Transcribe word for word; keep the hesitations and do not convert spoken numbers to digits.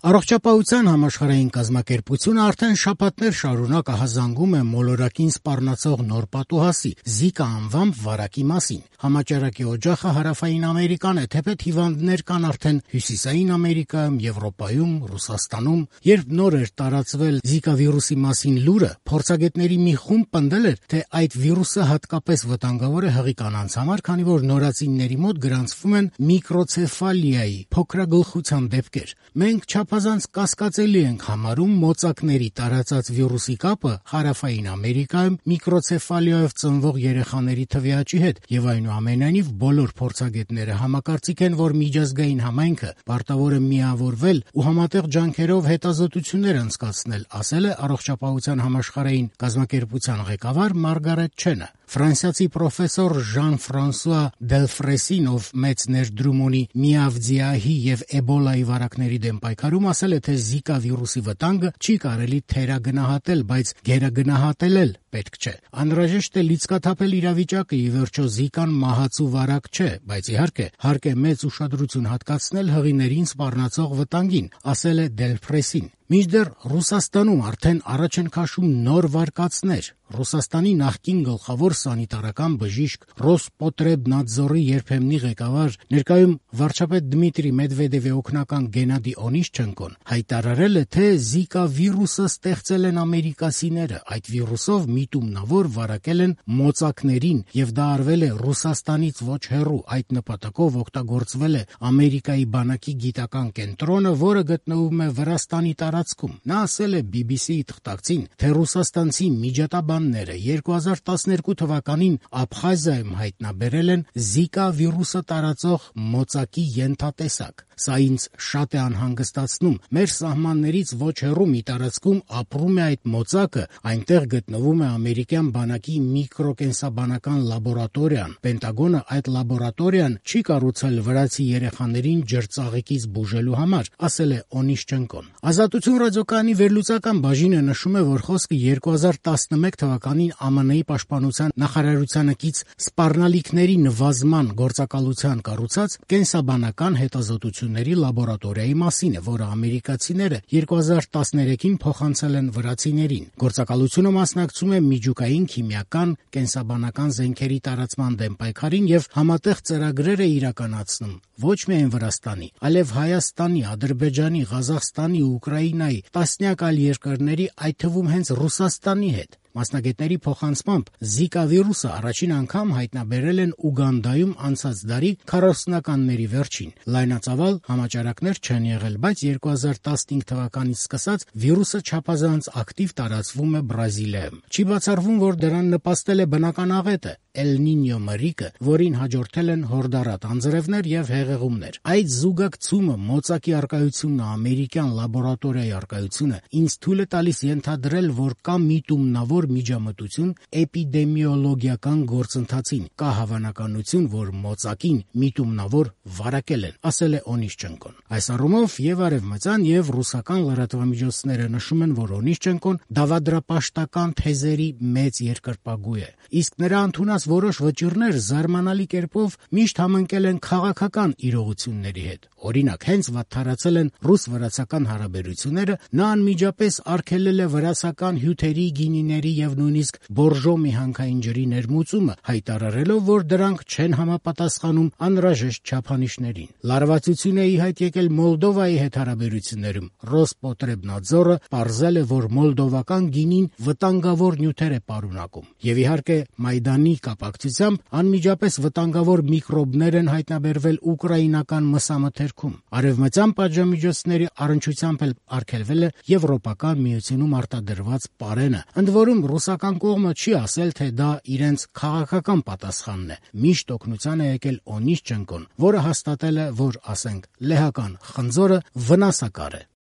Առողջապահության համաշխարհային կազմակերպությունը արդեն շաբաթներ շարունակ ահազանգում է մոլորակին սպառնացող նոր պատուհասի՝ Զիկա անվամբ վարակի մասին։ Համաճարակի օջախը Հարավային Ամերիկան է, թեպետ հիվանդներ կան արդեն Հյուսիսային Ամերիկայում, Եվրոպայում, Ռուսաստանում։ Երբ նոր էր տարածվել Զիկա վիրուսի մասին լուրը, փորձագետների մի խումբ պնդել էր, թե այդ վիրուսը հատկապես վտանգավոր է հղի կանանց համար, քանի որ նորածինների մոտ գրանցվում են միկրոցեֆալիայի փոքրագլխության դեպքեր։ Մենք չափազանց կասկածելի ենք համարում մոծակների տարածած վիրուսի կապը Հարավային Ամերիկայում միկրոցեֆալիայով ծնվող երեխաների թվի աճի հետ, եւ այնուամենայնիվ բոլոր փորձագետները համակարծիք են, որ միջազգային համայնքը պարտավոր է միավորվել ու համատեղ ջանքերով հետազոտություններ անցկացնել, ասել է Առողջապահության համաշխարհային կազմակերպության ղեկավար Մարգարետ Չենը։ Ֆրանսիացի պրոֆեսոր Ժան-Ֆրանսուଆ Դելֆրեսին, ով մեծ ներդրում ունի միավձիահի եւ էբոլայի վարակների դեմ պայքարում, ասել է, թե Զիկա վիրուսի վտանգը չի կարելի թերագնահատել, բայց գերագնահատել էլ պետք չէ։ Անհրաժեշտ է լիցքաթափել իրավիճակը, ի վերջո Զիկան մահացու վարակ չէ, բայց իհարկե հարկ է մեծ ուշադրություն հատկացնել հղիներին սպառնացող վտանգին, ասել է Դելֆրեսին։ Մինչդեռ Ռուսաստանում արդեն առաջ են քաշում նոր վարկածներ։ Ռուսաստանի նախկին գլխավոր սանիտարական բժիշկ Ռոսպոտրեբնադզորի երբեմնի ղեկավար, ներկայում վարչապետ Դմիտրի Մեդվեդևի օգնական Գենադի Օնիշչենկոն հայտարարել է, թե Զիկա վիրուսը ստեղծել են ամերիկացիները։ Այդ վիրուսով միտումնավոր վարակել են մոծակներին, եւ դա արվել է Ռուսաստանից ոչ հեռու։ Այդ նպատակով օգտագործվել է Ամերիկայի բանակի գիտական կենտրոնը, որը գտնվում է Վրաստանի տարածքում։ Նա ասել է բի բի սի-ի թղթակցին, թե ռուսաստանցի միջատաբանները երկու հազար տասներկու թվականին Աբխազիայում հայտնաբերել են Զիկա վիրուսը տարածող մոծակի ենթատեսակ։ Սա ինձ շատ է անհանգստացնում։ Մեր սահմաններից ոչ հեռու մի տարածքում ապրում է այդ մոծակը, այնտեղ գտնվում է ամերիկյան բանակի միկրոկենսաբանական լաբորատորիան։ Պենտագոնը այդ լաբորատորիան չի կառուցել վրացի երեխաներին ջրծաղիկից բուժելու համար, ասել է Օնիշչենկոն։ Ազատություն ռադիոկայանի վերլուծական բաժինը նշում է, որ խոսքը երկու հազար տասնմեկ թվականին Ամն-ի պաշտպանության նախարարությանը կից սպառնալիքների նվազման գործակալության կառուցած կենսաբանական հետազոտությունների լաբորատորիայի մասին է, որը ամերիկացիները երկու հազար տասներեքին փոխանցել են վրացիներին։ Գործակալությունը մասնակցում է միջուկային, քիմիական, կենսաբանական զենքերի տարածման դեմ պայքարին եւ համատեղ ծրագրեր է իրականացնում ոչ միայն Վրաստանի, այլև Հայաստանի, Ադրբեջանի, Ղազախստանի ու Ուկրաինայի, տասնյակ այլ երկրների, այդ թվում հենց Ռուսաստանի հետ։ Մասնագետների փոխանցմամբ Զիկա վիրուսը առաջին անգամ հայտնաբերել են Ուգանդայում անցած դարի քառասունականների վերջին։ Լայնածավալ համաճարակներ չեն եղել, բայց երկու հազար տասնհինգ թվականից սկսած վիրուսը չափազանց ակտիվ տարածվում է Բրազիլիայում։ Չի բացառվում, որ դրան նպաստել է բնական աղետը՝ Էլ Նինյո մրրիկը, որին հաջորդել են հորդառատ անձրևներ եւ հեղեղումներ։ Այդ զուգակցումը, մոծակի առկայությունն ու ամերիկյան լաբորատորիայի առկայությունը ինձ թույլ է տալիս ենթադրել, որ կա միտումնավոր միջամտություն էպիդեմիոլոգիական գործընթացին, կա հավանականություն, որ մոծակին միտումնավոր վարակել են, ասել է Օնիշչենկոն։ Այս առումով եւ արևմտյան եւ ռուսական լրատվամիջոցները նշում են, որ Օնիշչենկոն դավադրապաշտական թեզերի մեծ երկրպագու է, իսկ նրա ընդունած որոշ վճիռներ զարմանալի կերպով միշտ համընկել են քաղաքական իրողությունների հետ։ Օրինակ, հենց վատթարացել են ռուս-վրացական հարաբերությունները, նա անմիջապես արգելել է վրացական հյութերի, գինիների եւ նույնիսկ բորժո միհանքային ջրի ներմուծումը, հայտարարելով, որ դրանք չեն համապատասխանում անհրաժեշտ չափանիշներին։ Լարվածություն է ի հայտ եկել Մոլդովայի հետ հարաբերություններում։ Ռոսպոտրեբնադզորը պարզել է, որ մոլդովական գինին վտանգավոր նյութեր է պարունակում։ Եվ իհարկե Մայդանի կապակցությամբ անմիջապես վտանգավոր միկրոբներ են հայտնաբերվել ուկրաինական մսամթերքում։ Արևմտյան պատժամիջոցների առնչությամբ էլ արգելվել է Եվրոպական միությունում արտադրված պարենը։ Ընդ որում ռուսական կողմը չի ասել, թե դա իրենց քաղաքական պատասխանն է։ Միշտ օգնության է եկել Օնիշչենկոն, որը հաստատել է, որ, ասենք, լեհական խնձորը վնասակար է։